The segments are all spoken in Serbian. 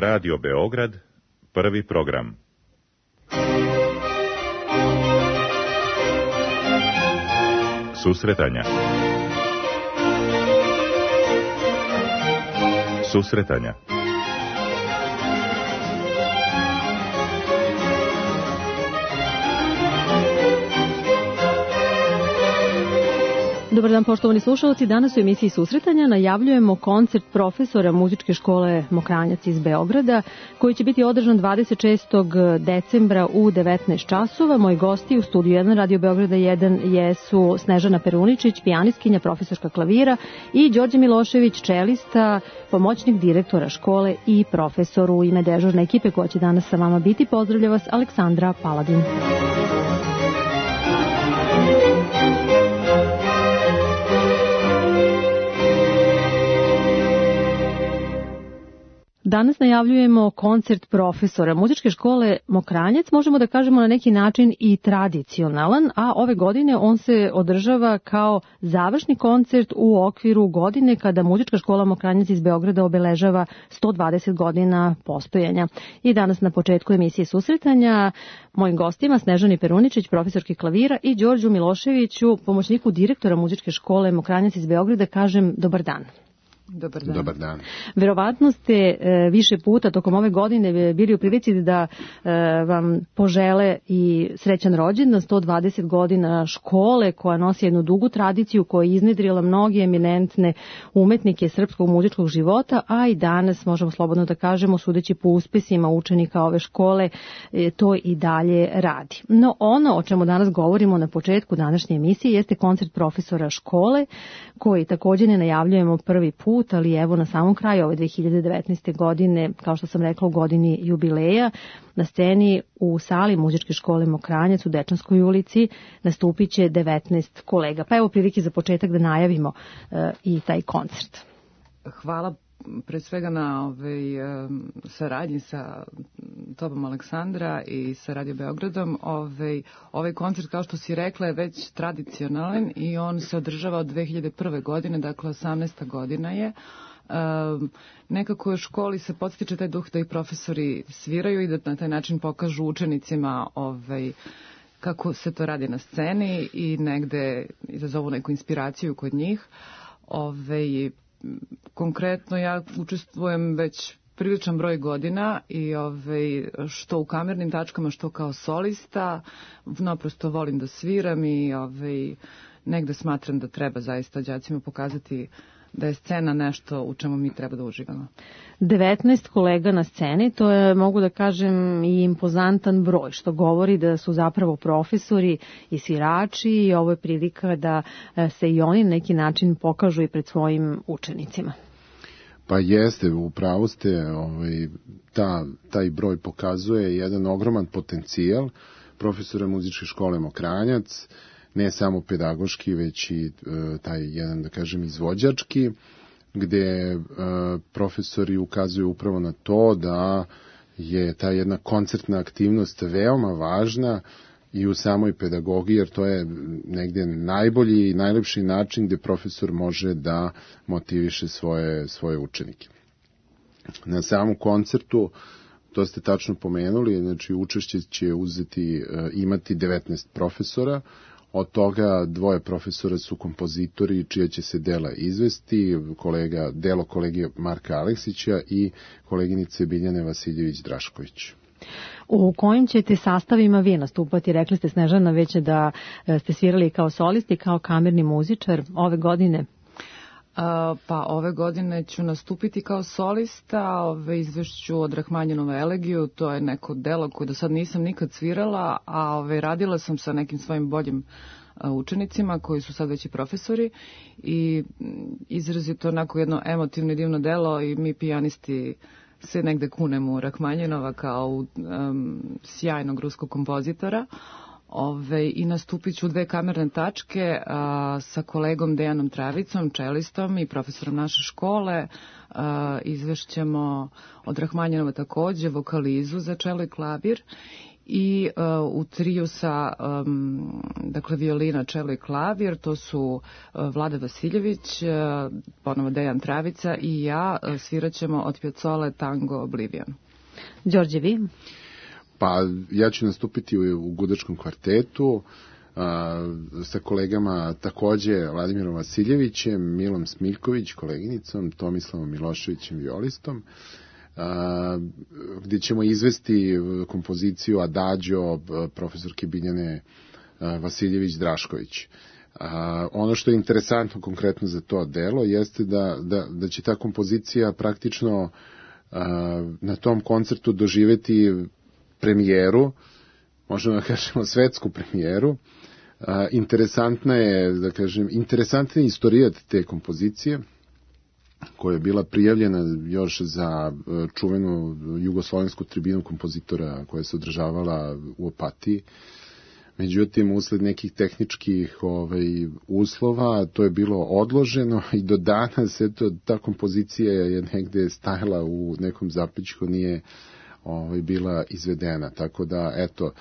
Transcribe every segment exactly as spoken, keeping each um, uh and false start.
Radio Beograd, prvi program. Susretanja. Susretanja. Dobar dan, poštovani slušalci. Danas u emisiji Susretanja najavljujemo koncert profesora muzičke škole Mokranjac iz Beograda, koji će biti održan dvadeset šestog decembra u devetnaest časova. Moji gosti u studiju jedan Radio Beograda jedan jesu Snežana Peruničić, pijanistkinja, profesorka klavira, i Đorđe Milošević, čelista, pomoćnik direktora škole i profesor. U ime dežurne ekipe koja će danas sa vama biti, pozdravlja vas Aleksandra Paladin. Danas najavljujemo koncert profesora muzičke škole Mokranjac, možemo da kažemo na neki način i tradicionalan, a ove godine on se održava kao završni koncert u okviru godine kada muzička škola Mokranjac iz Beograda obeležava sto dvadeset godina postojanja. I danas na početku emisije Susretanja mojim gostima Snežani Peruničić, profesorki klavira, i Đorđu Miloševiću, pomoćniku direktora muzičke škole Mokranjac iz Beograda, kažem dobar dan. Dobar dan. Dobar dan. Verovatno ste e, više puta tokom ove godine bili u prilici da e, vam požele i srećan rođendan, sto dvadeset godina škole koja nosi jednu dugu tradiciju, koja je iznedrila mnoge eminentne umetnike srpskog muzičkog života, a i danas možemo slobodno da kažemo, sudeći po uspesima učenika ove škole, e, to i dalje radi. No ono o čemu danas govorimo na početku današnje emisije jeste koncert profesora škole, koji također ne najavljujemo prvi put, ali evo na samom kraju ove dve hiljade devetnaeste. godine, kao što sam rekla, u godini jubileja, na sceni u sali muzičke škole Mokranjac u Dečanskoj ulici nastupit će devetnaest kolega. Pa evo prilike za početak da najavimo uh, i taj koncert. Hvala pre svega na ovaj, saradnji sa tobom, Aleksandra, i sa Radio Beogradom. Ovaj, ovaj koncert, kao što si rekla, je već tradicionalan i on se održava od dve hiljade prve. godine, dakle osamnaesta godina je. Um, nekako u školi se podstiče taj duh da i profesori sviraju i da na taj način pokažu učenicima ovaj, kako se to radi na sceni i negde izazovu neku inspiraciju kod njih. Ovaj, konkretno ja učestvujem već priličan broj godina i ovaj, što u kamernim tačkama, što kao solista. Naprosto volim da sviram i ovaj, negde smatram da treba zaista đacima pokazati da je scena nešto u čemu mi treba da uživamo. devetnaest kolega na sceni, to je, mogu da kažem, i impozantan broj, što govori da su zapravo profesori i svirači i ovo je prilika da se i oni na neki način pokažu i pred svojim učenicima. Pa jeste, upravo ste, ovaj, ta, taj broj pokazuje jedan ogroman potencijal profesora muzičke škole Mokranjac, ne samo pedagoški, već i e, taj jedan, da kažem, izvođački, gde e, profesori ukazuju upravo na to da je ta jedna koncertna aktivnost veoma važna i u samoj pedagogiji, jer to je negdje najbolji i najlepši način gde profesor može da motiviše svoje, svoje učenike. Na samom koncertu, to ste tačno pomenuli, znači učešće će uzeti, imati devetnaest profesora, od toga dvoje profesora su kompozitori čija će se dela izvesti, kolega, delo kolege Marka Aleksića i koleginice Biljane Vasiljević-Drašković. U kojim ćete sastavima vi nastupati? Rekli ste, Snežana, već da ste svirali kao solisti, kao kamerni muzičar ove godine. A, pa ove godine ću nastupiti kao solista, ove izvešću od Rahmanjinova elegiju, to je neko delo koje do sad nisam nikad svirala, a ove radila sam sa nekim svojim boljim učenicima koji su sad već i profesori i izrazito onako jedno emotivno i divno delo i mi pijanisti se negde kunemo u Rahmanjinova kao um, sjajnog ruskog kompozitora. Ove, i nastupit ću u dve kamerne tačke a, sa kolegom Dejanom Travicom, čelistom i profesorom naše škole. A, izvešćemo od Rahmanjinova takođe vokalizu za čelo i klavir i uh, u triju sa um, dakle violina, čelo i klavir, to su uh, Vlada Vasiljević, uh, ponovo Dejan Travica i ja, uh, sviraćemo od Piazzole tango Oblivion. Đorđe, vi? Pa ja ću nastupiti u, u gudačkom kvartetu a, sa kolegama takođe Vladimirom Vasiljevićem, Milom Smiljković, koleginicom, Tomislavom Miloševićem, violistom, a, gde ćemo izvesti kompoziciju Adagio profesorke Biljane Vasiljević-Drašković. A, ono što je interesantno konkretno za to delo jeste da, da, da će ta kompozicija praktično a, na tom koncertu doživeti premijeru, možemo da kažemo svetsku premijeru. A, interesantna je, da kažem, interesantna je istorijat te kompozicije, koja je bila prijavljena još za čuvenu jugoslovensku tribinu kompozitora koja se održavala u Opatiji. Međutim, usled nekih tehničkih ovaj, uslova, to je bilo odloženo i do danas eto, ta kompozicija je negde stajala u nekom zapećku, nije ovaj, bila izvedena. Tako da, eto,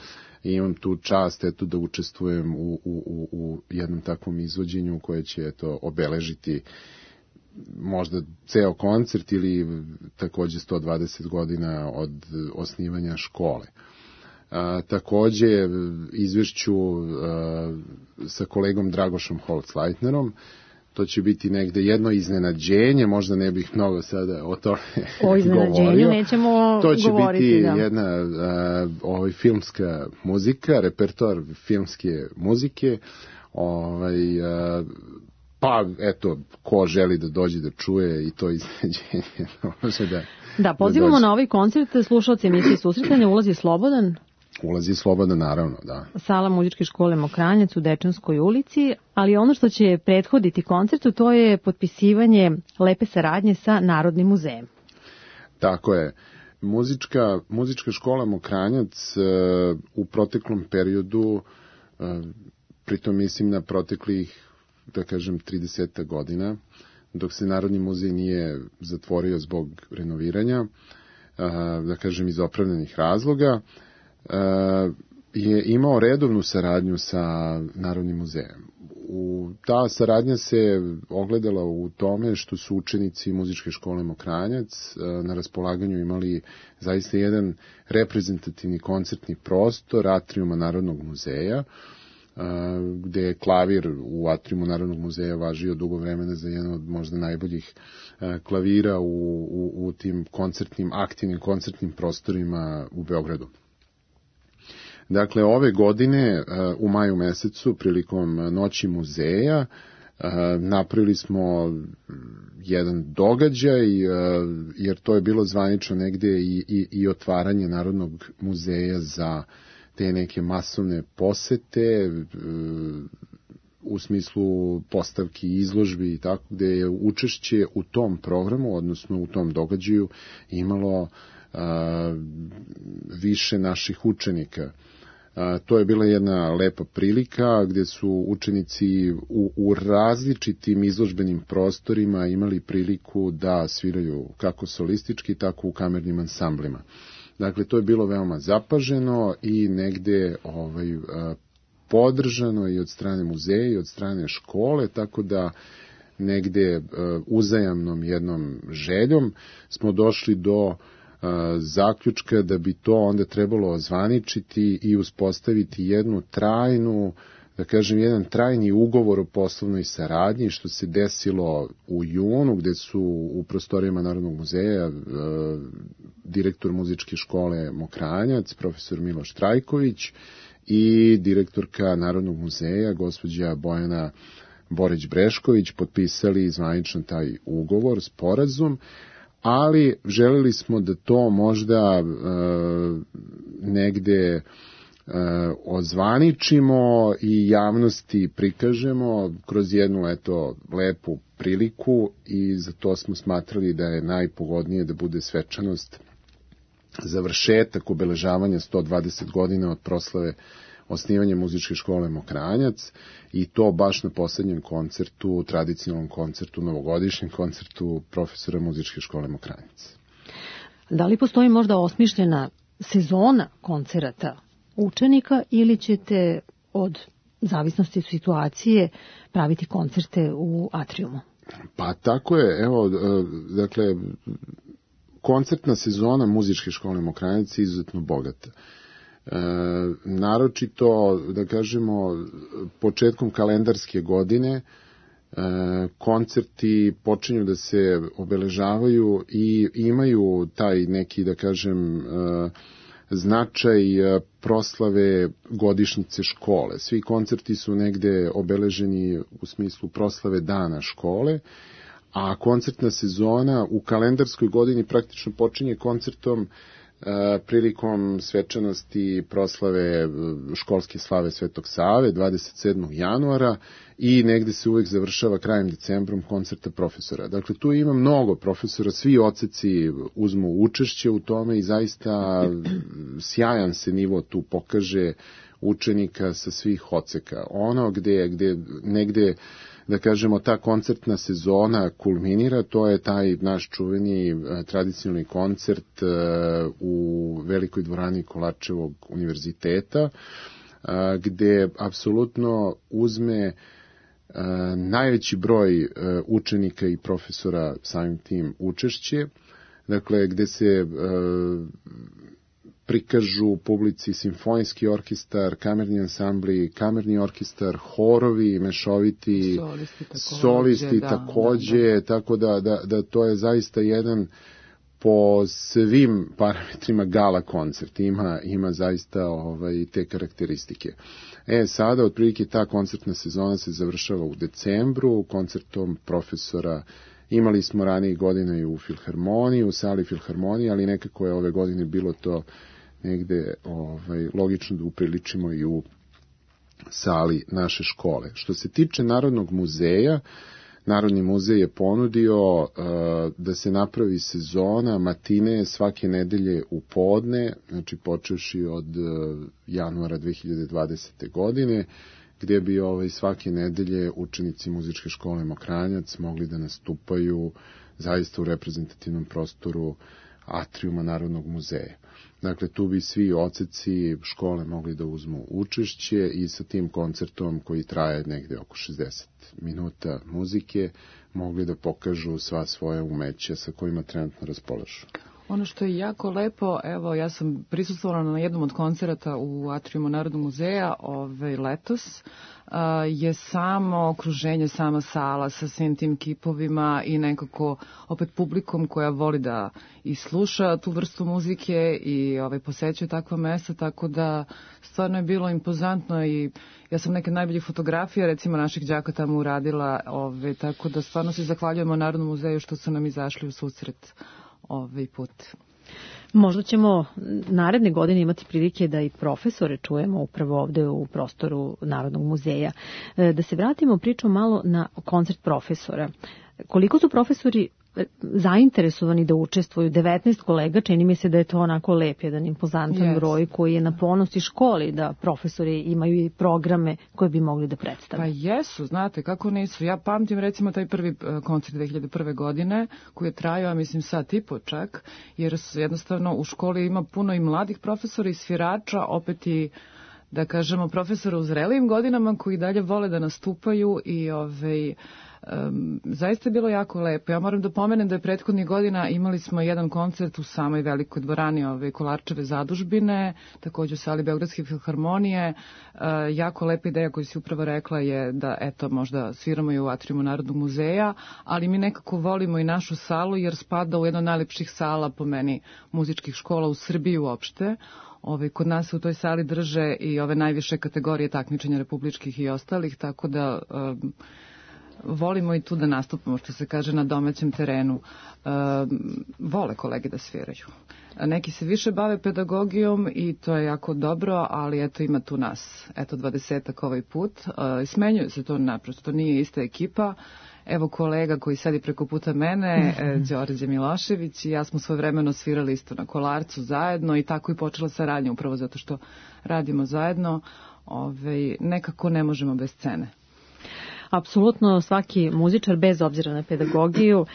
imam tu čast eto, da učestvujem u, u, u jednom takvom izvođenju koje će eto, obeležiti možda ceo koncert ili takođe sto dvadeset godina od osnivanja škole. A, takođe izvešću a, sa kolegom Dragošom Holtzleitnerom, to će biti negde jedno iznenađenje, možda ne bih mnogo sada o tome o iznenađenju nećemo govoriti. To će govoriti, biti da. jedna a, ovaj, filmska muzika, repertoar filmske muzike, ovaj, a, pa eto, ko želi da dođe da čuje i to iznenađenje može da... Da, pozivamo da na ovaj koncert slušalce emisije Susretanje, ulazi slobodan. Ulazi slobodan, naravno, da. Sala muzičke škole Mokranjac u Dečanskoj ulici, ali ono što će prethoditi koncertu, to je potpisivanje lepe saradnje sa Narodnim muzejem. Tako je. Muzička, muzička škola Mokranjac uh, u proteklom periodu, uh, pritom mislim na proteklih, da kažem, trideset godina, dok se Narodni muzej nije zatvorio zbog renoviranja, uh, da kažem, iz opravdanih razloga, Uh, je imao redovnu saradnju sa Narodnim muzejem. U, ta saradnja se ogledala u tome što su učenici muzičke škole Mokranjac uh, na raspolaganju imali zaista jedan reprezentativni koncertni prostor atriuma Narodnog muzeja, uh, gde je klavir u atriumu Narodnog muzeja važio dugo vremena za jedan od možda najboljih uh, klavira u, u, u tim koncertnim, aktivnim koncertnim prostorima u Beogradu. Dakle, ove godine u maju mesecu prilikom Noći muzeja napravili smo jedan događaj, jer to je bilo zvanično negde i, i, i otvaranje Narodnog muzeja za te neke masovne posete u smislu postavki, izložbi i tako, gde je učešće u tom programu, odnosno u tom događaju imalo a, više naših učenika. A, to je bila jedna lepa prilika gde su učenici u, u različitim izložbenim prostorima imali priliku da sviraju kako solistički, tako u kamernim ansamblima. Dakle, to je bilo veoma zapaženo i negde ovaj, a, podržano i od strane muzeja i od strane škole, tako da negde a, uzajamnom jednom željom smo došli do zaključka da bi to onda trebalo ozvaničiti i uspostaviti jednu trajnu, da kažem, jedan trajni ugovor o poslovnoj saradnji, što se desilo u junu, gde su u prostorijama Narodnog muzeja direktor muzičke škole Mokranjac, profesor Miloš Trajković i direktorka Narodnog muzeja, gospođa Bojana Borić-Brešković, potpisali zvanično taj ugovor, sporazum, ali želeli smo da to možda e, negde e, ozvaničimo i javnosti prikažemo kroz jednu eto lepu priliku i za to smo smatrali da je najpogodnije da bude svečanost završetak obeležavanja sto dvadeset godina od proslave osnivanje muzičke škole Mokranjac i to baš na poslednjem koncertu, tradicionalnom koncertu, novogodišnjem koncertu profesora muzičke škole Mokranjac. Da li postoji možda osmišljena sezona koncerata učenika ili ćete od zavisnosti situacije praviti koncerte u atriumu? Pa tako je, evo, dakle, koncertna sezona muzičke škole Mokranjac je izuzetno bogata. E, naročito, da kažemo, početkom kalendarske godine e, koncerti počinju da se obeležavaju i imaju taj neki, da kažem, e, značaj proslave godišnjice škole. Svi koncerti su negde obeleženi u smislu proslave dana škole, a koncertna sezona u kalendarskoj godini praktično počinje koncertom e, prilikom svečanosti proslave školske slave Svetog Save dvadeset sedmog januara i negde se uvek završava krajem decembrom koncerta profesora. Dakle, tu ima mnogo profesora, svi odseci uzmu učešće u tome i zaista sjajan se nivo tu pokaže učenika sa svih odseka. Ono gde, gde negde, da kažemo, ta koncertna sezona kulminira, to je taj naš čuveni tradicionalni koncert u velikoj dvorani Kolarčevog univerziteta, gde apsolutno uzme najveći broj učenika i profesora samim tim učešće, dakle, gde se prikažu publici simfonijski orkestar, kamerni ansambli, kamerni orkestar, horovi, mešoviti, solisti takođe, solisti, da, takođe da, da. Tako da, da, da to je zaista jedan po svim parametrima gala koncert, ima, ima zaista ovaj, te karakteristike. E, sada, otprilike, ta koncertna sezona se završava u decembru, koncertom profesora. Imali smo ranije godina i u Filharmoniji, u sali Filharmonije, ali nekako je ove godine bilo to negde ovaj, logično da upriličimo i u sali naše škole. Što se tiče Narodnog muzeja, Narodni muzej je ponudio uh, da se napravi sezona matine svake nedelje u podne, znači počevši od uh, januara dve hiljade dvadesete. godine, gdje bi ovaj, svake nedelje učenici muzičke škole Mokranjac mogli da nastupaju zaista u reprezentativnom prostoru atriuma Narodnog muzeja. Dakle, tu bi svi odseci škole mogli da uzmu učešće i sa tim koncertom koji traje negde oko šezdeset minuta muzike mogli da pokažu sva svoja umeća sa kojima trenutno raspolažu. Ono što je jako lepo, evo, ja sam prisustvovala na jednom od koncerata u atriumu Narodnog muzeja ovaj, letos, a, je samo okruženje, sama sala sa svim tim kipovima i nekako opet publikom koja voli da i sluša tu vrstu muzike i ovaj, posećuje takva mesta, tako da stvarno je bilo impozantno i ja sam neke najboljih fotografija, recimo, naših đaka tamo uradila, ovaj, tako da stvarno se zahvaljujemo Narodnom muzeju što su nam izašli u susret ovaj put. Možda ćemo naredne godine imati prilike da i profesore čujemo upravo ovde u prostoru Narodnog muzeja. Da se vratimo pričom malo na koncert profesora. Koliko su profesori zainteresovani da učestvuju? devetnaest kolega, čini mi se da je to onako lep, jedan impozantan yes. broj koji je na ponos i školi da profesori imaju i programe koje bi mogli da predstave. Pa jesu, znate, kako nisu. Ja pamtim recimo taj prvi koncert dve hiljade prve. godine koji je trajao, mislim, sat i po čak, jer jednostavno u školi ima puno i mladih profesora i svirača, opet i, da kažemo, profesora u zrelijim godinama koji dalje vole da nastupaju i ovaj... Um, zaista je bilo jako lepo. Ja moram da pomenem da je prethodnih godina imali smo jedan koncert u samoj velikoj dvorani ove Kolarčeve zadužbine, takođe u sali Beogradske filharmonije. Uh, jako lepa ideja koju si upravo rekla je da, eto, možda sviramo i u atriumu Narodnog muzeja, ali mi nekako volimo i našu salu jer spada u jedno od najlepših sala po meni muzičkih škola u Srbiji uopšte. Ove, kod nas se u toj sali drže i ove najviše kategorije takmičenja republičkih i ostalih, tako da um, volimo i tu da nastupamo, što se kaže, na domaćem terenu. E, vole kolege da sviraju. Neki se više bave pedagogijom i to je jako dobro, ali eto, ima tu nas, eto, dvadesetak ovaj put. E, smenjuje se to naprosto, to nije ista ekipa. Evo kolega koji sedi preko puta mene, e, Đorđe Milošević, i ja smo svojevremeno svirali isto na Kolarcu zajedno i tako i počela saradnja, upravo zato što radimo zajedno. Ove, nekako ne možemo bez scene. Apsolutno svaki muzičar, bez obzira na pedagogiju,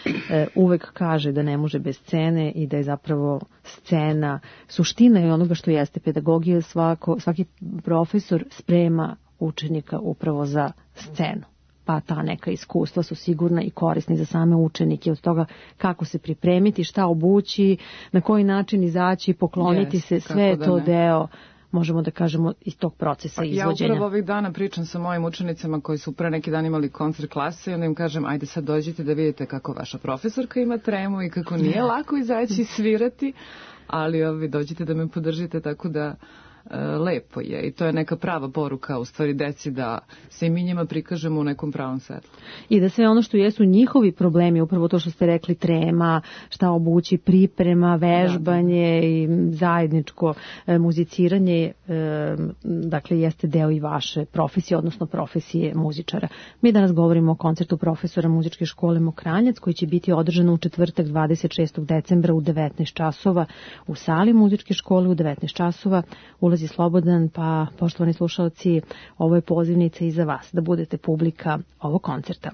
uvek kaže da ne može bez scene i da je zapravo scena suština i onoga što jeste pedagogija. Svako, svaki profesor sprema učenika upravo za scenu. Pa ta neka iskustva su sigurna i korisni za same učenike, od toga kako se pripremiti, šta obući, na koji način izaći, pokloniti yes, se, sve je to ne. deo, možemo da kažemo, iz tog procesa pa, izvođenja. Ja upravo ovih dana pričam sa mojim učenicama koji su pre neki dan imali koncert klase i onda im kažem, ajde sad dođite da vidite kako vaša profesorka ima tremu i kako nije yeah. lako izaći i svirati, ali ovi, dođite da me podržite, tako da lepo je i to je neka prava poruka u stvari deci da se i mi njima prikažemo u nekom pravom svetlu. I da sve ono što jesu njihovi problemi, upravo to što ste rekli, trema, šta obući, priprema, vežbanje da. i zajedničko e, muziciranje, e, dakle jeste deo i vaše profesije, odnosno profesije muzičara. Mi danas govorimo o koncertu profesora muzičke škole Mokranjac koji će biti održan u četvrtak dvadeset šestog decembra u devetnaest časova u sali muzičke škole u devetnaest časova. Ulaz je slobodan, pa poštovani slušalci, ovo je pozivnica i za vas da budete publika ovog koncerta.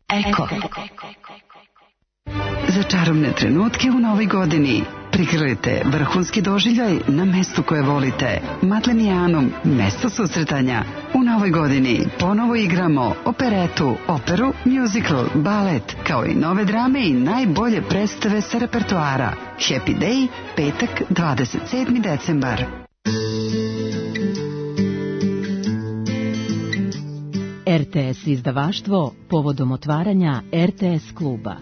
Eko. Za čarobne trenutke u novoj godini prikrojite vrhunski doživljaj na mestu koje volite. Matlenijanum, mesto susretanja. U novoj godini ponovo igramo operetu, operu, musical, balet, kao i nove drame i najbolje predstave sa repertoara. Happy Day, petak, dvadeset sedmi decembar. R T S izdavaštvo povodom otvaranja R T S kluba.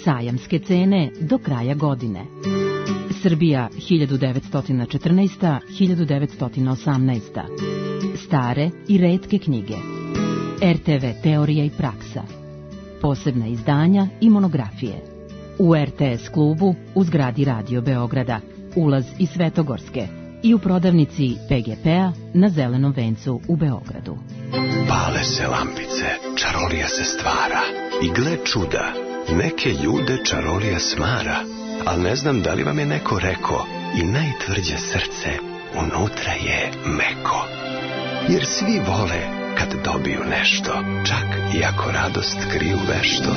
Sajamske cene do kraja godine. Srbija hiljadu devetsto četrnaest do hiljadu devetsto osamnaest. Stare i retke knjige. R T V teorija i praksa. Posebna izdanja i monografije. U R T S klubu u zgradi Radio Beograda. Ulaz iz Svetogorske. I u prodavnici P G P-a na Zelenom vencu u Beogradu. Pale se lampice, čarolija se stvara. I gle čuda, neke ljude čarolija smara. Al ne znam da li vam je neko reko, i najtvrđe srce unutra je meko. Jer svi vole kad dobiju nešto, čak i ako radost kriju vešto.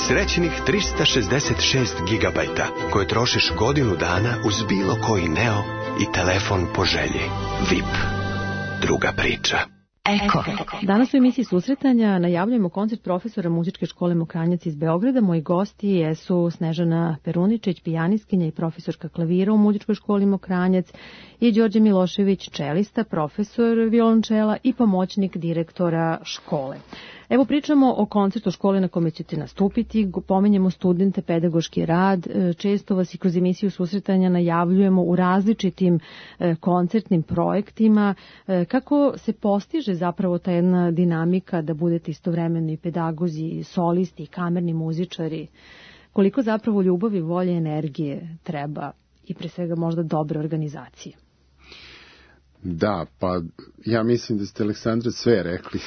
Srećnih trista šezdeset šest gigabajta koje trošiš godinu dana uz bilo koji Neo i telefon po želji. V I P. Druga priča. Eko. Danas u emisiji Susretanja najavljujemo koncert profesora muzičke škole Mokranjac iz Beograda. Moji gosti jesu Snežana Peruničić, pijanistkinja i profesorka klavira u muzičkoj školi Mokranjac, i Đorđe Milošević, čelista, profesor violončela i pomoćnik direktora škole. Evo, pričamo o koncertu škole na kome ćete nastupiti, pominjemo studente, pedagoški rad, često vas i kroz emisiju Susretanja najavljujemo u različitim koncertnim projektima. Kako se postiže zapravo ta jedna dinamika da budete istovremeno i pedagozi, solisti, kamerni muzičari? Koliko zapravo ljubavi, volje, energije treba i pre svega možda dobre organizacije? Da, pa ja mislim da ste, Aleksandra, sve rekli.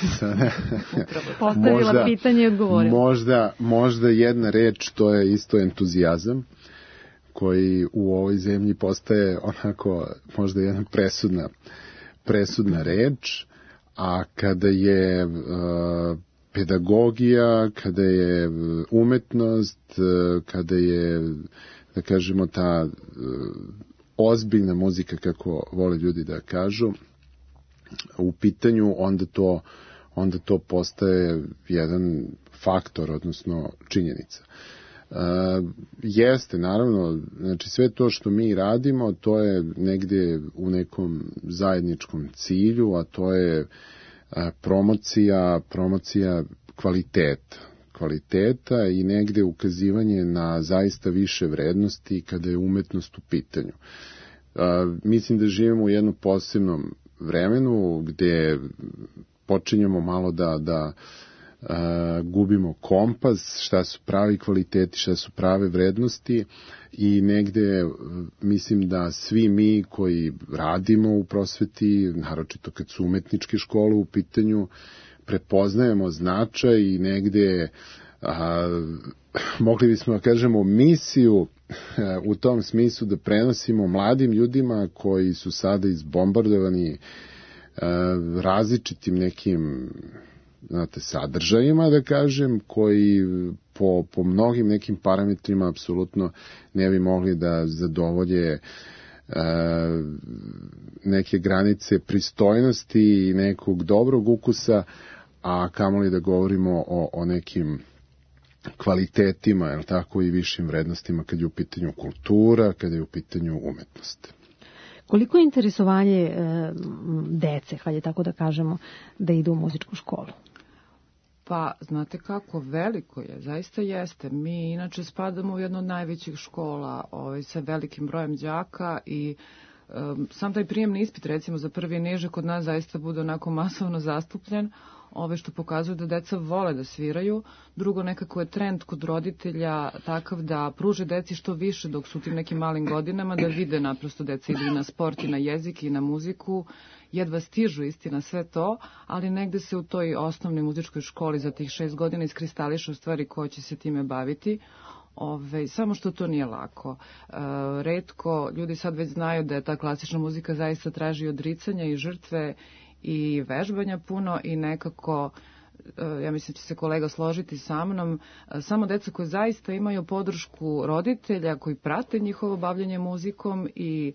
Postavila možda, pitanje i odgovorila. Možda, možda jedna reč, to je isto entuzijazam, koji u ovoj zemlji postaje onako možda jedna presudna, presudna reč, a kada je uh, pedagogija, kada je umetnost, uh, kada je, da kažemo, ta uh, ozbiljna muzika, kako vole ljudi da kažu, u pitanju, onda to, onda to postaje jedan faktor, odnosno činjenica. Uh, jeste, naravno, znači sve to što mi radimo, to je negde u nekom zajedničkom cilju, a to je uh, promocija, promocija kvaliteta. kvaliteta i negde ukazivanje na zaista više vrednosti kada je umetnost u pitanju. Uh, mislim da živimo u jednom posebnom vremenu gde počinjemo malo da, da uh, gubimo kompas, šta su pravi kvaliteti, šta su prave vrednosti, i negde uh, mislim da svi mi koji radimo u prosveti, naročito kad su umetničke škole u pitanju, prepoznajemo značaj i negde a, mogli bismo da kažemo misiju a, u tom smislu da prenosimo mladim ljudima koji su sada izbombardovani a, različitim nekim, znate, sadržajima, da kažem, koji po, po mnogim nekim parametrima apsolutno ne bi mogli da zadovolje a, neke granice pristojnosti i nekog dobrog ukusa, a kamoli da govorimo o, o nekim kvalitetima, jel tako, i višim vrednostima kad je u pitanju kultura, kad je u pitanju umetnost. Koliko je interesovanje e, dece, hajde tako da kažemo, da idu u muzičku školu? Pa, znate kako, veliko je, zaista jeste. Mi inače spadamo u jednu od najvećih škola ovaj, sa velikim brojem đaka i um, sam taj prijemni ispit, recimo za prvi niže, kod nas zaista bude onako masovno zastupljen, ove što pokazuju da deca vole da sviraju. Drugo, nekako je trend kod roditelja takav da pruže deci što više dok su u tim nekim malim godinama, da vide naprosto deca idu i na sport i na jezik i na muziku, jedva stižu istina sve to, ali negde se u toj osnovnoj muzičkoj školi za tih šest godina iskristališe u stvari ko će se time baviti. Ove, samo što to nije lako. E, retko, ljudi sad već znaju da je ta klasična muzika zaista traži odricanja i žrtve i vežbanja puno i nekako, ja mislim će se kolega složiti sa mnom, samo deca koje zaista imaju podršku roditelja koji prate njihovo bavljanje muzikom i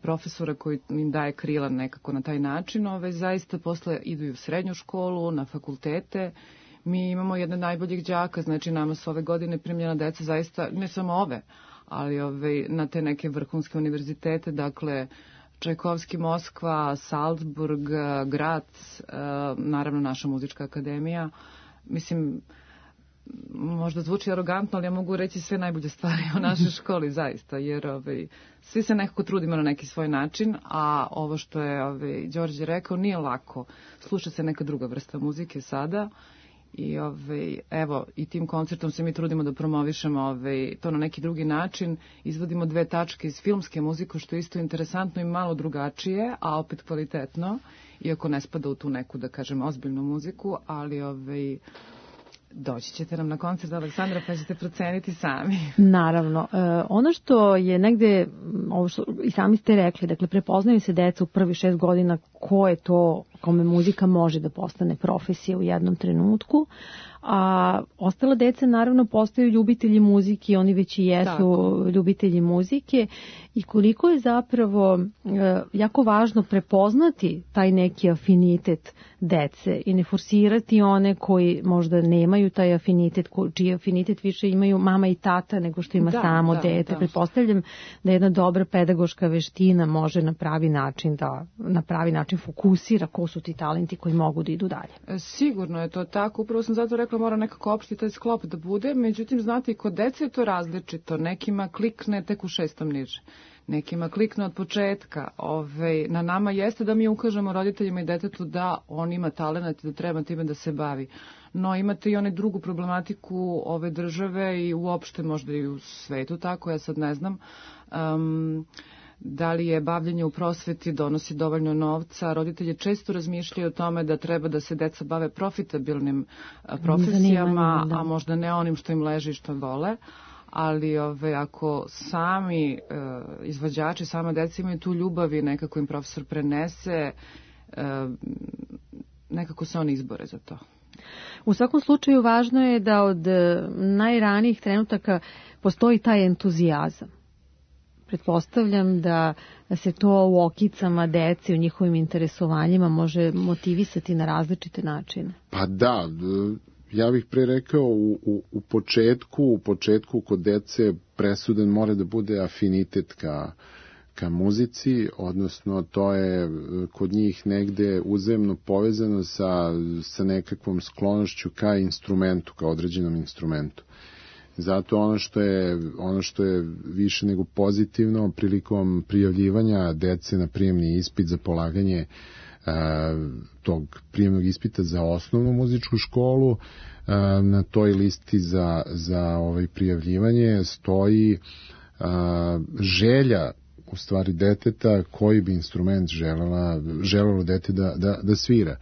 profesora koji im daje krila nekako na taj način, ove, zaista posle idu i u srednju školu, na fakultete. Mi imamo jedne najboljih đaka, znači nama su ove godine primljena deca zaista, ne samo ove, ali ove, na te neke vrhunske univerzitete, dakle Čajkovski, Moskva, Salzburg, Graz, naravno naša muzička akademija. Mislim, možda zvuči arogantno, ali ja mogu reći sve najbolje stvari o našoj školi, zaista, jer ovaj, svi se nekako trudimo na neki svoj način, a ovo što je ovaj, Đorđe rekao, nije lako. Sluša se neka druga vrsta muzike sada. I ovaj, evo, i tim koncertom se mi trudimo da promovišemo ovaj, to na neki drugi način. Izvodimo dve tačke iz filmske muzike, što je isto interesantno i malo drugačije, a opet kvalitetno, iako ne spada u tu neku, da kažem, ozbiljnu muziku, ali ovaj, doći ćete nam na koncert Aleksandra pa ćete proceniti sami. Naravno. E, ono što je negde, ovo što i sami ste rekli, dakle, prepoznaju se deca u prvi šest godina ko je to kome muzika može da postane profesija u jednom trenutku, a ostala deca naravno postaju ljubitelji muzike, oni već i jesu Tako. ljubitelji muzike i koliko je zapravo e, jako važno prepoznati taj neki afinitet dece i ne forsirati one koji možda nemaju taj afinitet, čiji afinitet više imaju mama i tata nego što ima da, samo da, dete. Da. Pretpostavljam da jedna dobra pedagoška veština može na pravi način da na pravi način fokusira ko su ti talenti koji mogu da idu dalje. Sigurno je to tako, upravo sam zato rekla mora nekako opšti taj sklop da bude, međutim znate i kod dece je to različito, nekima klikne tek u šestom niže. Nekima klikne od početka. Ove, na nama jeste da mi ukažemo roditeljima i detetu da on ima talenat i da treba time da se bavi. No imate i one drugu problematiku ove države i uopšte možda i u svetu tako, ja sad ne znam. Um, da li je bavljenje u prosveti donosi dovoljno novca. Roditelji često razmišljaju o tome da treba da se deca bave profitabilnim profesijama, a možda ne onim što im leži i što vole. Ali ove, ako sami e, izvođači, sama deca imaju tu ljubav i nekako im profesor prenese, e, nekako se oni izbore za to. U svakom slučaju važno je da od najranijih trenutaka postoji taj entuzijazam. Pretpostavljam da se to u okicama dece, u njihovim interesovanjima može motivisati na različite načine. Pa da, ja bih pre rekao u, u, u početku, u početku kod dece presudan mora da bude afinitet ka, ka muzici, odnosno to je kod njih negde uzemno povezano sa, sa nekakvom sklonošću ka instrumentu, ka određenom instrumentu. Zato ono što je, ono što je više nego pozitivno prilikom prijavljivanja dece na prijemni ispit za polaganje tog prijemnog ispita za osnovnu muzičku školu, na toj listi za, za ovaj prijavljivanje stoji želja u stvari deteta koji bi instrument želela, želelo dete da, da, da svira.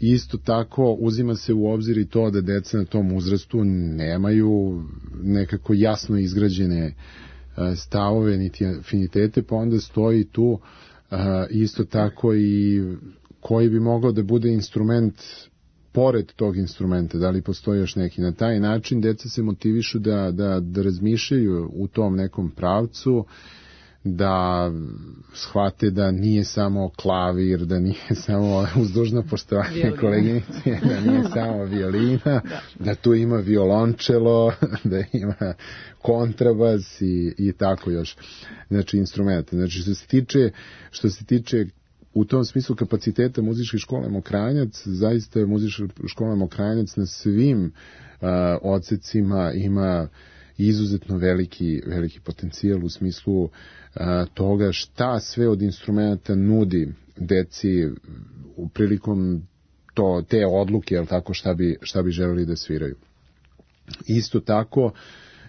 Isto tako uzima se u obzir i to da deca na tom uzrastu nemaju nekako jasno izgrađene stavove niti afinitete, pa onda stoji tu Uh, isto tako i koji bi mogao da bude instrument pored tog instrumenta, da li postoji još neki. Na taj način deca se motivišu da, da, da razmišljaju u tom nekom pravcu, da shvate da nije samo klavir, da nije samo uzdužno poštovanje koleginice, da nije samo violina, da. da tu ima violončelo, da ima kontrabas i, i tako još. Znači, instrumenta. Znači, što se tiče, što se tiče u tom smislu kapaciteta muzičke škole Mokranjac, zaista je muzička škola Mokranjac na svim uh, odsecima ima izuzetno veliki, veliki potencijal u smislu uh, toga šta sve od instrumenta nudi deci u prilikom to, te odluke, jel tako, šta bi, šta bi želeli da sviraju. Isto tako,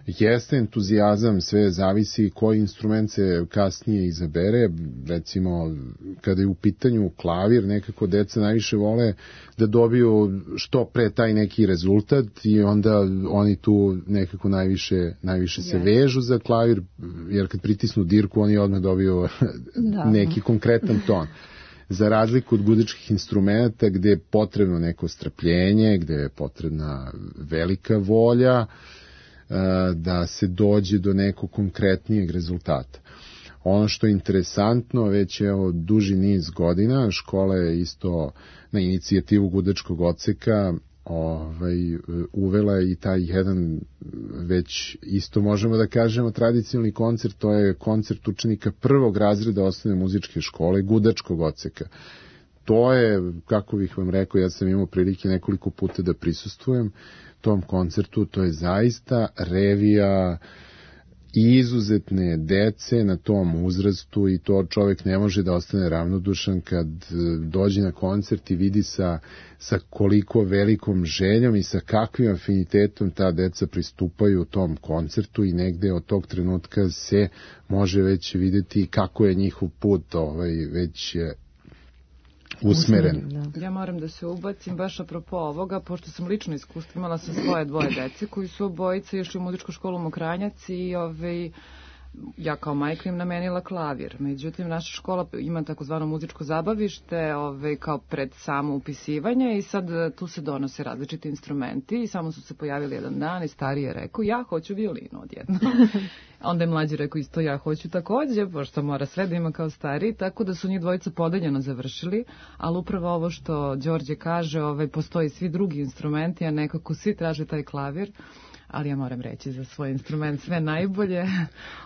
jeste entuzijazam, sve zavisi koji instrument se kasnije izabere. Recimo, kada je u pitanju klavir, nekako deca najviše vole da dobiju što pre taj neki rezultat i onda oni tu nekako najviše, najviše se vežu za klavir, jer kad pritisnu dirku oni odmah dobiju da. neki konkretan ton. Za razliku od gudačkih instrumenta gde je potrebno neko strpljenje, gde je potrebna velika volja, da se dođe do nekog konkretnijeg rezultata. Ono što je interesantno, već je od duži niz godina, škola je isto na inicijativu gudačkog odseka ovaj, uvela i taj jedan, već isto možemo da kažemo, tradicionalni koncert, to je koncert učenika prvog razreda osnovne muzičke škole, gudačkog odseka. To je, kako bih vam rekao, ja sam imao prilike nekoliko puta da prisustvujem tom koncertu, to je zaista revija izuzetne dece na tom uzrastu i to čovjek ne može da ostane ravnodušan kad dođe na koncert i vidi sa, sa koliko velikom željom i sa kakvim afinitetom ta deca pristupaju tom koncertu i negde od tog trenutka se može već vidjeti kako je njihov put ovaj, već usmeren. Da. Ja moram da se ubacim baš apropo ovoga, pošto sam lično iskustvo imala sa svoje dvoje dece koji su obojice išli u muzičku školu Mokranjac i ovaj, ja kao majka im namenila klavir. Međutim, naša škola ima takozvano muzičko zabavište ovaj, kao pred samo upisivanje i sad tu se donose različiti instrumenti i samo su se pojavili jedan dan i stariji je rekao ja hoću violinu odjedno. Onda je mlađi rekao isto ja hoću takođe, pošto mora sve da ima kao stariji, tako da su njih dvojica podeljeno završili, ali upravo ovo što Đorđe kaže, ovaj, postoji svi drugi instrumenti, a nekako svi traže taj klavir, ali ja moram reći za svoj instrument sve najbolje.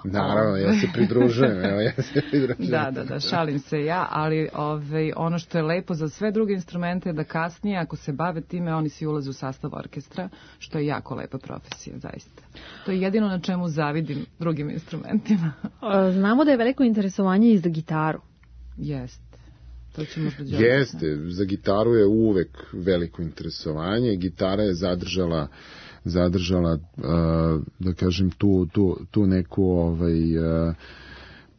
Naravno, ja se pridružujem, evo ja se pridružujem. Da, da, da, šalim se ja, ali ovaj, ono što je lepo za sve druge instrumente je da kasnije, ako se bave time, oni svi ulaze u sastav orkestra, što je jako lepa profesija, zaista. To je jedino na čemu zavidim drugim instrumentima. Znamo da je veliko interesovanje i za gitaru. Jeste. To će možda Đorđe. Jeste, za gitaru je uvek veliko interesovanje. Gitara je zadržala zadržala, da kažem, tu, tu, tu neku ovaj,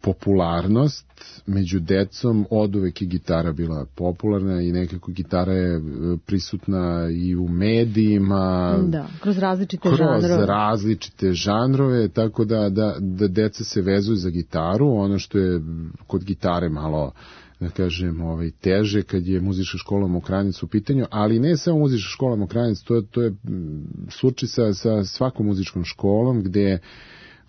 popularnost među decom. Od uvek je gitara bila popularna i nekako gitara je prisutna i u medijima. Da, kroz različite kroz žanrove. Kroz različite žanrove, tako da, da, da deca se vezuju za gitaru. Ono što je kod gitare malo, da kažem, ovaj, teže kad je muzička škola Mokranjac u pitanju, ali ne samo muzička škola Mokranjac, to je, to je slučaj sa, sa svakom muzičkom školom, gde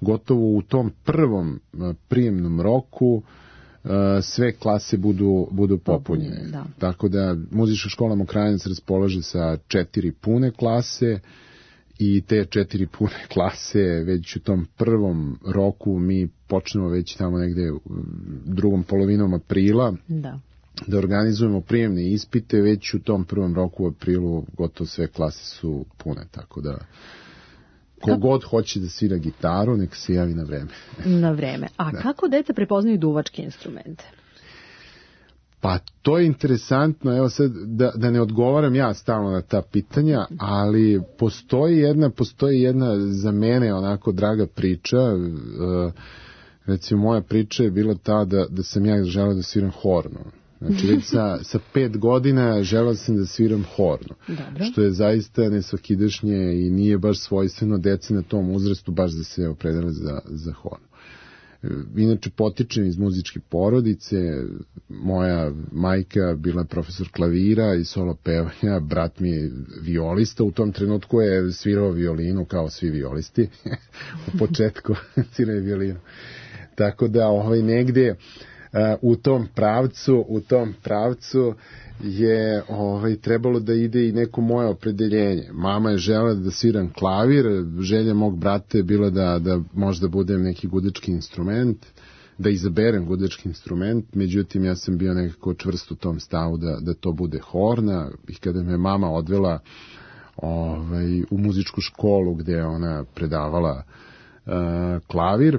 gotovo u tom prvom prijemnom roku sve klase budu, budu popunjene. Da. Tako da muzička škola Mokranjac raspolaže sa četiri pune klase i te četiri pune klase već u tom prvom roku mi počnemo već tamo negde drugom polovinom aprila da, da organizujemo prijemne ispite, već u tom prvom roku u aprilu gotovo sve klase su pune, tako da kogod hoće da svira gitaru, nek se javi na vreme. Na vreme. A da. Kako deca prepoznaju duvačke instrumente? Pa to je interesantno, evo sad da, da ne odgovaram ja stalno na ta pitanja, ali postoji jedna, postoji jedna za mene onako draga priča, uh, recimo moja priča je bila ta da, da sam ja želeo da sviram hornu. Znači već sa, sa pet godina želeo sam da sviram hornu. Dobro. Što je zaista nesvakidašnje i nije baš svojstveno deci na tom uzrastu baš da se opredele za, za hornu. Inače, potičem iz muzičke porodice, moja majka bila profesor klavira i solo pevanja, brat mi je violista, u tom trenutku je svirao violinu kao svi violisti, u početku svirao je violinu. Tako da ovaj, negde uh, u tom pravcu, u tom pravcu je ovaj, trebalo da ide i neko moje opredeljenje. Mama je želela da sviram klavir, želja mog brata je bila da, da možda budem neki gudački instrument, da izaberem gudački instrument, međutim ja sam bio nekako čvrst u tom stavu da, da to bude horna i kada me mama odvela ovaj, u muzičku školu gde ona predavala uh, klavir,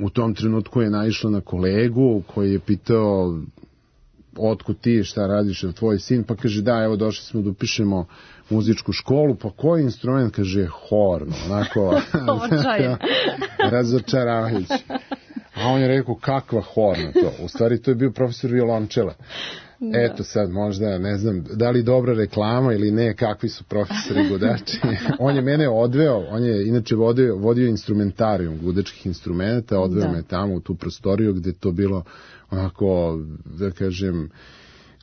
u tom trenutku je naišla na kolegu koji je pitao otkud ti, šta radiš, je tvoj sin, pa kaže da, evo došli smo da upišemo muzičku školu, pa koji instrument, kaže horno, onako razočaravajući. A on je rekao, kakva horna to? U stvari to je bio profesor violončela. Da. Eto sad možda, ne znam, da li dobra reklama ili ne, kakvi su profesori gudači. On je mene odveo, on je inače vodio, vodio instrumentarijum gudačkih instrumenta, odveo da. me tamo u tu prostoriju gde to bilo onako, da kažem,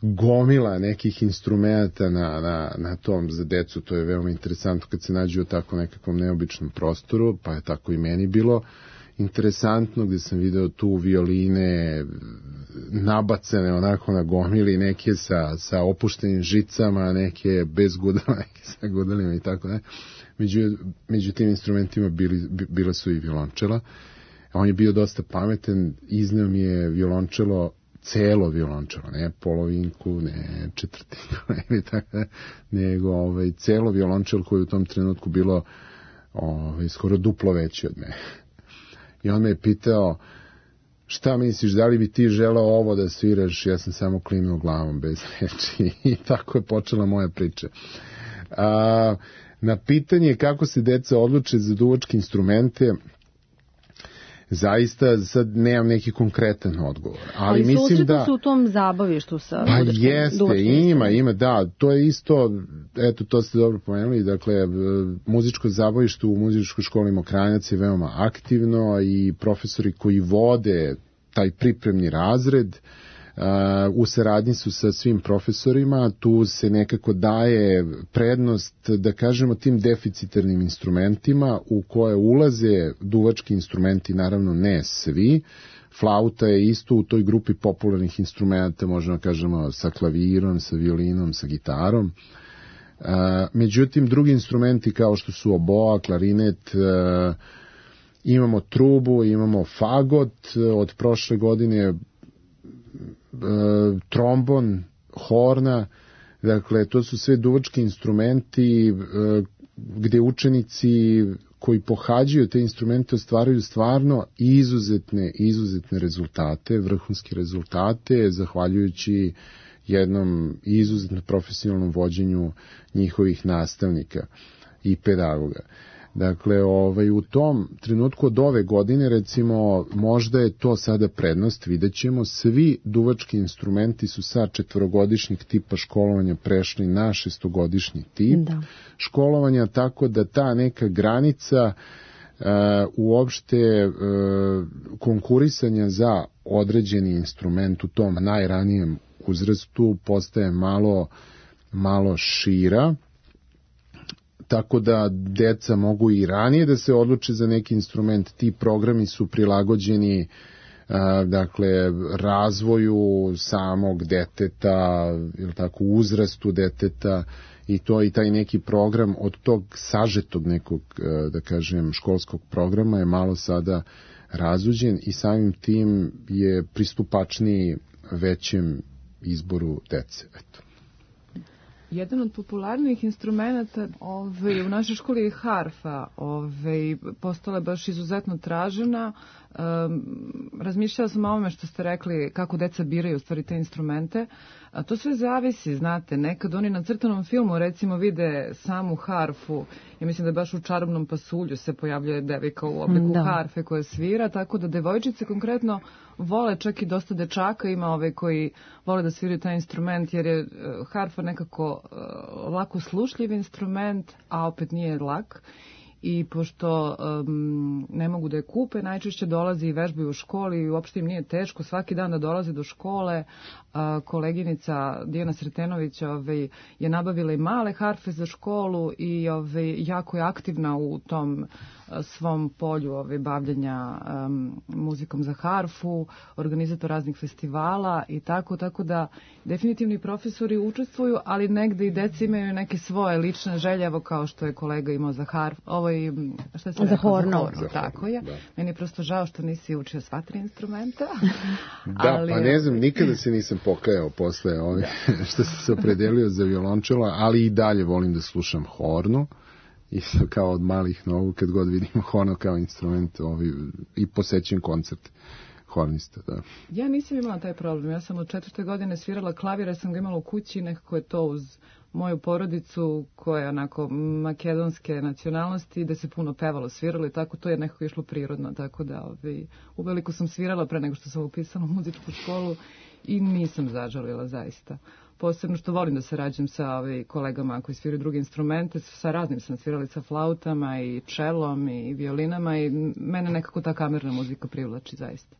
gomila nekih instrumenta na, na, na tom za decu. To je veoma interesantno kad se nađe u tako nekakvom neobičnom prostoru, pa je tako i meni bilo interesantno gde sam video tu violine nabacane onako na gomili, neke sa, sa opuštenim žicama, neke bez gudala, neke sa gudalima i tako ne. Među, među tim instrumentima bili, bila su i violončela. On je bio dosta pametan, izneo mi je violončelo, celo violončelo, ne polovinku, ne četvrtinku, ne, tako, nego ovaj, celo violončelo koje u tom trenutku bilo ovaj, skoro duplo veće od mene. I on me je pitao, šta misliš, da li bi ti želeo ovo da sviraš? Ja sam samo klimnuo glavom bez reči i tako je počela moja priča. A, na pitanje kako se deca odluče za duvačke instrumente, zaista sad nemam neki konkretan odgovor. Ali, ali mislim da se u tom zabavištu sa pa jeste, ima, ima, da, to je isto, eto, to ste dobro pomenuli, dakle, muzičko zabavište u muzičkoj školi Mokranjac je veoma aktivno i profesori koji vode taj pripremni razred Uh, u saradnji su sa svim profesorima, tu se nekako daje prednost, da kažemo, tim deficitarnim instrumentima u koje ulaze duvački instrumenti, naravno ne svi. Flauta je isto u toj grupi popularnih instrumenta, možemo kažemo sa klavirom, sa violinom, sa gitarom. Uh, međutim, drugi instrumenti kao što su oboa, klarinet, uh, imamo trubu, imamo fagot, od prošle godine trombon, horna, dakle to su sve duvački instrumenti gde učenici koji pohađaju te instrumente ostvaraju stvarno izuzetne, izuzetne rezultate, vrhunske rezultate, zahvaljujući jednom izuzetno profesionalnom vođenju njihovih nastavnika i pedagoga. Dakle, ovaj, u tom trenutku od ove godine, recimo, možda je to sada prednost, vidjet ćemo, svi duvački instrumenti su sa četvorogodišnjeg tipa školovanja prešli na šestogodišnji tip da. školovanja, tako da ta neka granica uh, uopšte uh, konkurisanja za određeni instrument u tom najranijem uzrastu postaje malo, malo šira, tako da deca mogu i ranije da se odluče za neki instrument. Ti programi su prilagođeni a, dakle razvoju samog deteta, ili tako, uzrastu deteta, i to i taj neki program od tog sažetog nekog, da kažem, školskog programa je malo sada razuđen i samim tim je pristupačniji većem izboru dece. Eto. Jedan od popularnijih instrumenta ovaj, u našoj školi je harfa. Ovaj, postala je baš izuzetno tražena. Um, razmišljala sam o ovome što ste rekli, kako deca biraju u stvari te instrumente. A to sve zavisi, znate, nekad oni na crtanom filmu recimo vide samu harfu. Ja mislim da baš u Čarobnom pasulju se pojavljuje devojka u obliku da. harfe koja svira, tako da devojčice konkretno vole, čak i dosta dečaka ima ove koji vole da sviraju taj instrument, jer je harfa nekako lako slušljiv instrument, a opet nije lak. I pošto um, ne mogu da je kupe, najčešće dolazi i vežbaju u školi i uopšte im nije teško svaki dan da dolaze do škole. A, koleginica Dijana Sretenović ove, je nabavila i male harfe za školu i ove, jako je aktivna u tom a, svom polju ove, bavljanja um, muzikom za harfu, organizator raznih festivala i tako, tako da definitivni profesori učestvuju, ali negde i deca imaju neke svoje lične želje, evo kao što je kolega imao za harf, ovo je šta se za horno. Tako je. Da. Meni je prosto žao što nisi učio sva tri instrumenta. Da, ali, pa ne znam, nikada se nisam pokajao posle ove, da. što sam se opredelio za violončelo, ali i dalje volim da slušam hornu. I kao od malih nogu, kad god vidim horno kao instrument, ovi, i posećujem koncert hornista, da. Ja nisam imala taj problem. Ja sam od četvrte godine svirala klavir, ja sam ga imala u kući, nekako je to uz moju porodicu koja je onako makedonske nacionalnosti, da se puno pevalo, sviralo i tako, to je nekako išlo prirodno, tako da ovaj, uveliko sam svirala pre nego što sam upisala u muzičku školu i nisam zažalila zaista. Posebno što volim da sarađujem sa ovaj, kolegama koji sviraju druge instrumente, sa raznim sam svirali, sa flautama i čelom i violinama i mene nekako ta kamerna muzika privlači zaista.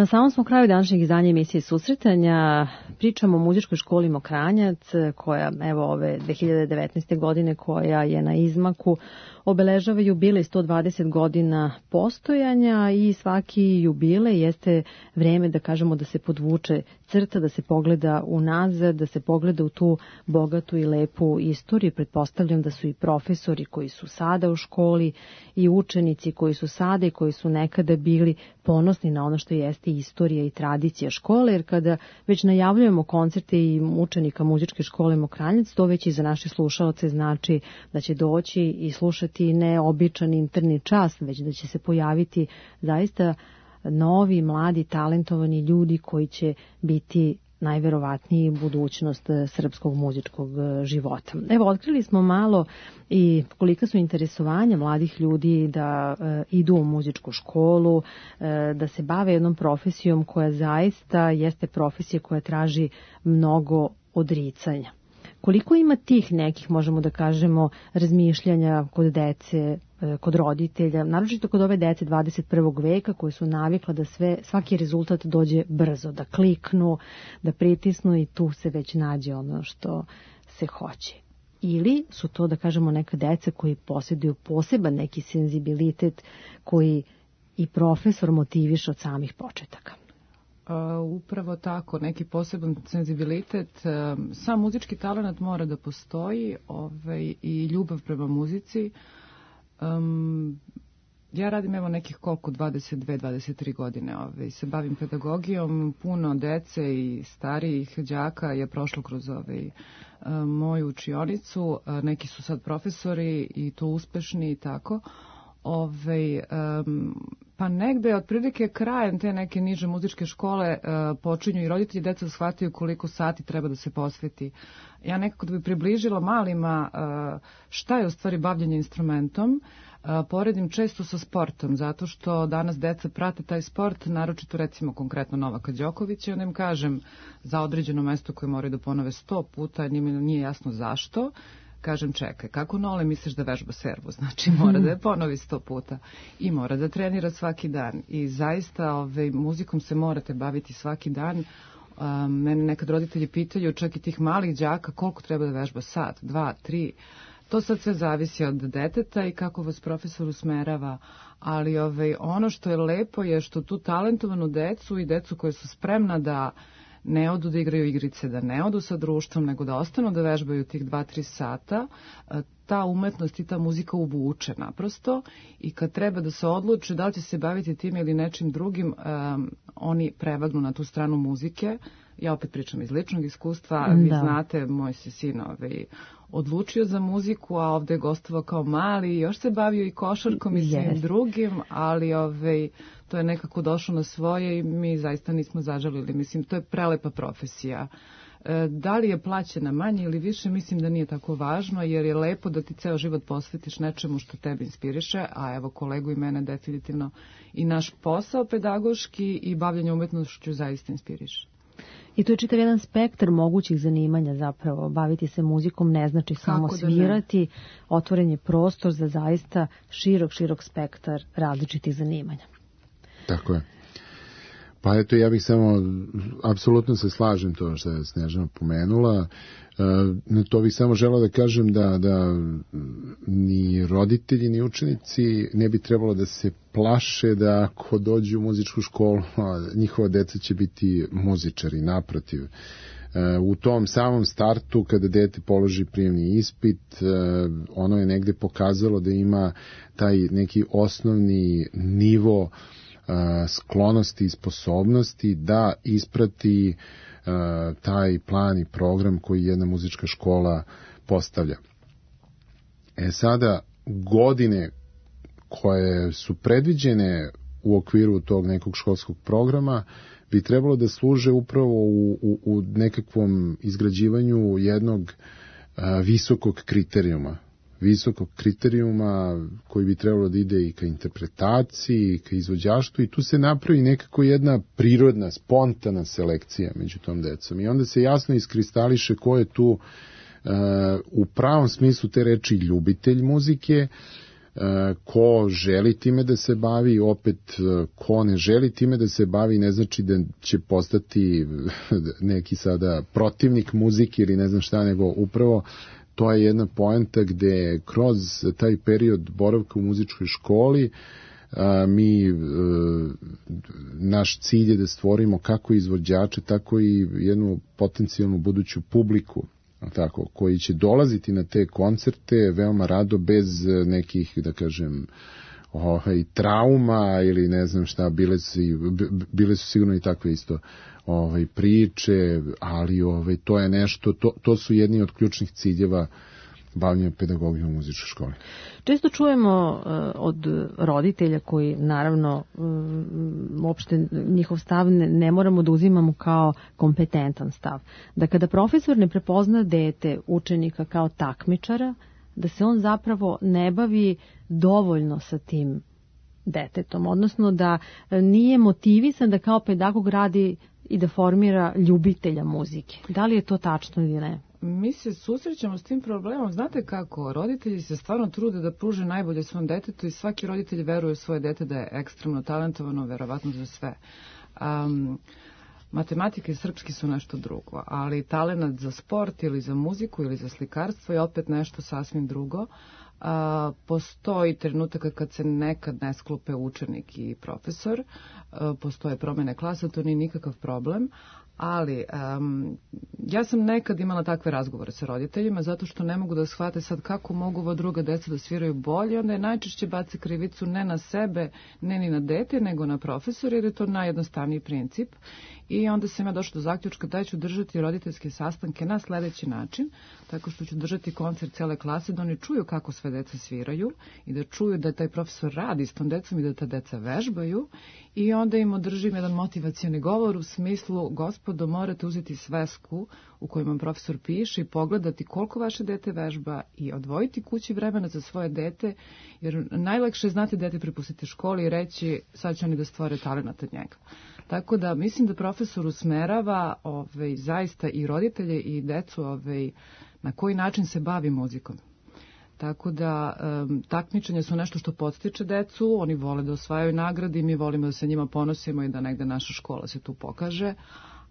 Na samom smo kraju današnjeg izdanja emisije Susretanja. Pričamo o muzičkoj školi Mokranjac, koja evo ove dve hiljade devetnaeste. godine, koja je na izmaku, obeležava jubilej sto dvadeset godina postojanja i svaki jubilej jeste vreme da kažemo da se podvuče crta, da se pogleda unazad, da se pogleda u tu bogatu i lepu istoriju. Pretpostavljam da su i profesori koji su sada u školi i učenici koji su sada i koji su nekada bili ponosni na ono što jeste istorija i tradicija škole, jer kada već najavljujemo koncerte i učenika muzičke škole Mokranjac, to već i za naše slušaoce znači da će doći i slušati ne običan interni čas, već da će se pojaviti zaista novi, mladi, talentovani ljudi koji će biti najverovatniji budućnost srpskog muzičkog života. Evo, otkrili smo malo i kolika su interesovanja mladih ljudi da e, idu u muzičku školu, e, da se bave jednom profesijom koja zaista jeste profesija koja traži mnogo odricanja. Koliko ima tih nekih, možemo da kažemo, razmišljanja kod dece, kod roditelja, naročito kod ove dece dvadeset prvog veka koje su navikla da sve, svaki rezultat dođe brzo, da kliknu, da pritisnu i tu se već nađe ono što se hoće. Ili su to, da kažemo, neka deca koji posjeduju poseban neki senzibilitet koji i profesor motiviše od samih početaka. Uh, upravo tako, neki poseban senzibilitet. Uh, sam muzički talent mora da postoji, ovaj, i ljubav prema muzici. Um, ja radim evo nekih koliko, dvadeset dve dvadeset tri godine, ovaj, se bavim pedagogijom, puno dece i starijih đaka je prošlo kroz ovaj, uh, moju učionicu, uh, neki su sad profesori i to uspešni i tako. Ove, um, pa negde otprilike krajem te neke niže muzičke škole uh, počinju i roditelji deca shvataju koliko sati treba da se posveti. Ja nekako da bi približila malima uh, šta je u stvari bavljenje instrumentom, uh, poredim često sa sportom, zato što danas deca prate taj sport, naročito recimo konkretno Novaka Đokovića, onda im kažem za određeno mesto koje moraju da ponove sto puta, njima nije jasno zašto. Kažem, čekaj, kako Nole misliš da vežba servu? Znači, mora da je ponovi sto puta i mora da trenira svaki dan. I zaista ovaj, muzikom se morate baviti svaki dan. Um, mene nekad roditelji pitaju, čak i tih malih đaka, koliko treba da vežba? Sat, dva, tri. To sad sve zavisi od deteta i kako vas profesor usmerava. Ali ovaj, ono što je lepo je što tu talentovanu decu i decu koje su spremna da ne odu da igraju igrice, da ne odu sa društvom, nego da ostanu da vežbaju tih dva tri sata, ta umetnost i ta muzika uvuče naprosto i kad treba da se odluče da li će se baviti tim ili nečim drugim, um, oni prevagnu na tu stranu muzike. Ja opet pričam iz ličnog iskustva, da. Vi znate, moj se sin ovaj, odlučio za muziku, a ovde je gostovao kao mali, još se bavio i košarkom i svim yes. drugim, ali ovaj, to je nekako došlo na svoje i mi zaista nismo zažalili. Mislim, to je prelepa profesija. E, da li je plaćena manje ili više, mislim da nije tako važno, jer je lepo da ti ceo život posvetiš nečemu što tebe inspiriše, a evo kolegu i mene definitivno i naš posao pedagoški i bavljanje umetnošću zaista inspiriše. I to je čitav jedan spektar mogućih zanimanja zapravo. Baviti se muzikom ne znači samo svirati, otvoren je prostor za zaista širok, širok spektar različitih zanimanja. Tako je. Pa eto, ja bih samo, apsolutno se slažem to što je Snežana pomenula. E, to bih samo želeo da kažem da, da ni roditelji, ni učenici ne bi trebalo da se plaše da ako dođu u muzičku školu, njihova deca će biti muzičari, naprotiv. E, u tom samom startu, kada dete položi prijemni ispit, e, ono je negde pokazalo da ima taj neki osnovni nivo sklonosti i sposobnosti da isprati uh, taj plan i program koji jedna muzička škola postavlja. E sada, godine koje su predviđene u okviru tog nekog školskog programa bi trebalo da služe upravo u, u, u nekakvom izgrađivanju jednog uh, visokog kriterijuma. visokog kriterijuma koji bi trebalo da ide i ka interpretaciji, i ka izvođaštvu i tu se napravi nekako jedna prirodna, spontana selekcija među tom decom. I onda se jasno iskristališe ko je tu uh, u pravom smislu te reči ljubitelj muzike, ko želi time da se bavi, opet ko ne želi time da se bavi ne znači da će postati neki sada protivnik muzike ili ne znam šta, nego upravo to je jedna poenta gde kroz taj period boravka u muzičkoj školi a, mi a, naš cilj je da stvorimo kako izvođače, tako i jednu potencijalnu buduću publiku, tako, koji će dolaziti na te koncerte veoma rado bez nekih, da kažem, ovaj, trauma ili ne znam šta, bile su, bile su sigurno i takve isto ovaj, priče, ali ovaj, to je nešto, to, to su jedni od ključnih ciljeva bavljenja pedagogijom u muzičkoj školi. Često čujemo uh, od roditelja koji naravno um, uopšte njihov stav ne, ne moramo da uzimamo kao kompetentan stav. Da kada profesor ne prepozna dete učenika kao takmičara, da se on zapravo ne bavi dovoljno sa tim detetom, odnosno da nije motivisan da kao pedagog radi i da formira ljubitelja muzike. Da li je to tačno ili ne? Mi se susrećemo s tim problemom. Znate kako? Roditelji se stvarno trude da pruže najbolje svom detetu i svaki roditelj veruje u svoje dete da je ekstremno talentovano, verovatno za sve. Um, matematika i srpski su nešto drugo, ali talenat za sport ili za muziku ili za slikarstvo je opet nešto sasvim drugo. Uh, postoji trenutaka kad se nekad ne sklope učenik i profesor, uh, postoje promene klasa, to nije nikakav problem, ali um, ja sam nekad imala takve razgovore sa roditeljima zato što ne mogu da shvate sad kako mogu ova druga deca da sviraju bolje, onda je najčešće baci krivicu ne na sebe, ne ni na dete, nego na profesor, jer je to najjednostavniji princip. I onda sam ja došla do zaključka da ću držati roditeljske sastanke na sledeći način, tako što ću držati koncert cele klase, da oni čuju kako sve deca sviraju i da čuju da taj profesor radi s tom decom i da ta deca vežbaju, i onda im održim jedan motivacioni govor u smislu: gospodo, morate uzeti svesku u kojoj vam profesor piše i pogledati koliko vaše dete vežba i odvojiti kući vremena za svoje dete, jer najlakše je znati dete prepustiti školi i reći sad će oni da stvore talenat od njega. Tako da mislim da profesor usmerava ovaj, zaista i roditelje i decu ovaj, na koji način se bavi muzikom. Tako da um, takmičenja su nešto što podstiče decu, oni vole da osvajaju nagrade i mi volimo da se njima ponosimo i da negde naša škola se tu pokaže,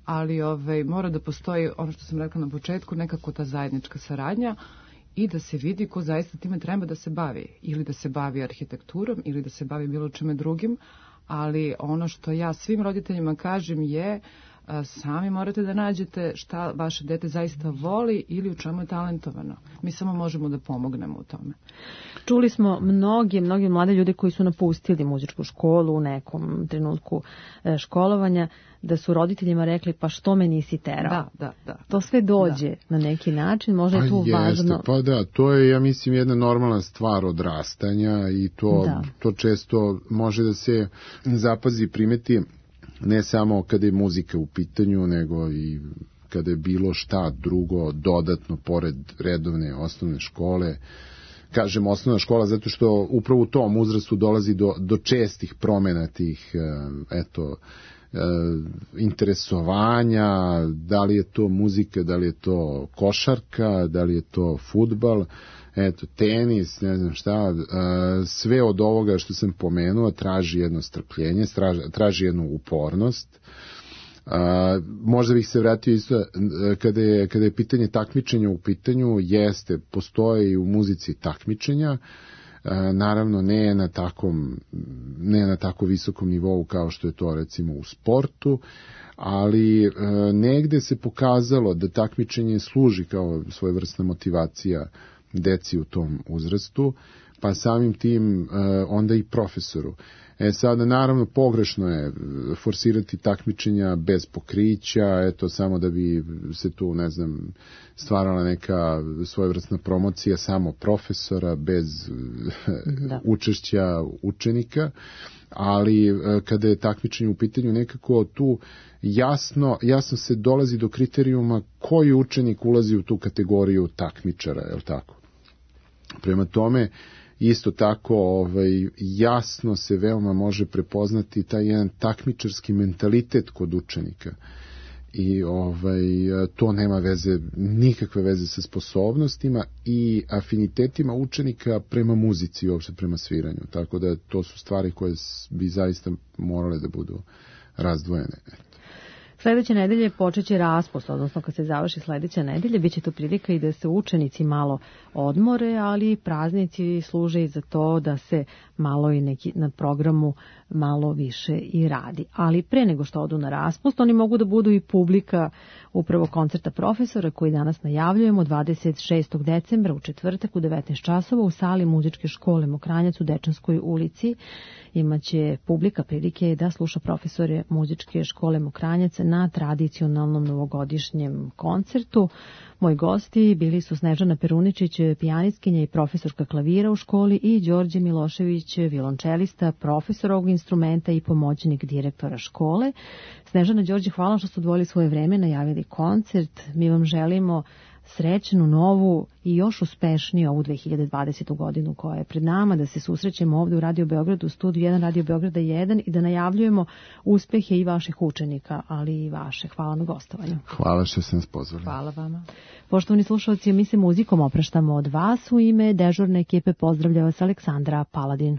ali ovaj, mora da postoji, ono što sam rekla na početku, nekako ta zajednička saradnja i da se vidi ko zaista time treba da se bavi, ili da se bavi arhitekturom ili da se bavi bilo čime drugim, ali ono što ja svim roditeljima kažem je: sami morate da nađete šta vaše dete zaista voli ili u čemu je talentovano. Mi samo možemo da pomognemo u tome. Čuli smo mnogi, mnogi mlade ljude koji su napustili muzičku školu u nekom trenutku školovanja, da su roditeljima rekli: pa što me nisi terao? Da, da, da. To sve dođe da. Na neki način, možda je tu pa važno. Jeste, pa da, to je, ja mislim, jedna normalna stvar odrastanja i to, da. to često može da se zapazi, primeti ne samo kada je muzika u pitanju, nego i kada je bilo šta drugo dodatno pored redovne osnovne škole. Kažem osnovna škola zato što upravo u tom uzrastu dolazi do, do čestih promena tih eto, interesovanja, da li je to muzika, da li je to košarka, da li je to fudbal, eto, tenis, ne znam šta, sve od ovoga što sam pomenuo traži jedno strpljenje, traži jednu upornost. Možda bih se vratio isto, kada je, kada je pitanje takmičenja u pitanju, jeste, postoje i u muzici takmičenja, naravno ne na takom, ne na tako visokom nivou kao što je to recimo u sportu, ali negde se pokazalo da takmičenje služi kao svojevrsna motivacija deci u tom uzrastu, pa samim tim onda i profesoru. E sada, naravno, pogrešno je forsirati takmičenja bez pokrića, eto, samo da bi se tu, ne znam, stvarala neka svojevrsna promocija samo profesora bez da. učešća učenika, ali kada je takmičenje u pitanju, nekako tu jasno, jasno se dolazi do kriterijuma koji učenik ulazi u tu kategoriju takmičara, je li tako? Prema tome, isto tako ovaj, jasno se veoma može prepoznati taj jedan takmičarski mentalitet kod učenika. i ovaj, to nema veze, nikakve veze sa sposobnostima i afinitetima učenika prema muzici i uopšte prema sviranju. Tako da to su stvari koje bi zaista morale da budu razdvojene. Sledeće nedelje počeće raspust, odnosno kad se završi sledeća nedelja, bit će to prilika i da se učenici malo odmore, ali praznici služe i za to da se malo i neki na programu malo više i radi. Ali pre nego što odu na raspust, oni mogu da budu i publika upravo koncerta profesora koji danas najavljujemo dvadeset šestog decembra u četvrtak u devetnaest časova u sali muzičke škole Mokranjac u Dečanskoj ulici. Imaće publika prilike da sluša profesore muzičke škole Mokranjac na tradicionalnom novogodišnjem koncertu. Moji gosti bili su Snežana Peruničić, pijanistkinja i profesorka klavira u školi, i Đorđe Milošević, violončelista, profesor ovog instrumenta i pomoćnik direktora škole. Snežana, Đorđe, hvala što ste odvojili svoje vreme, najavili koncert. Mi vam želimo srećnu, novu i još uspešniju ovu dve hiljade dvadesetu godinu koja je pred nama, da se susrećemo ovde u Radio Beogradu, u studiju jedan Radio Beograda jedan i da najavljujemo uspehe i vaših učenika, ali i vaše. Hvala na gostovanju. Hvala što ste nas pozvali. Hvala vama. Poštovani slušalci, mi se muzikom opraštamo od vas. U ime dežurne ekipe pozdravlja vas Aleksandra Paladin.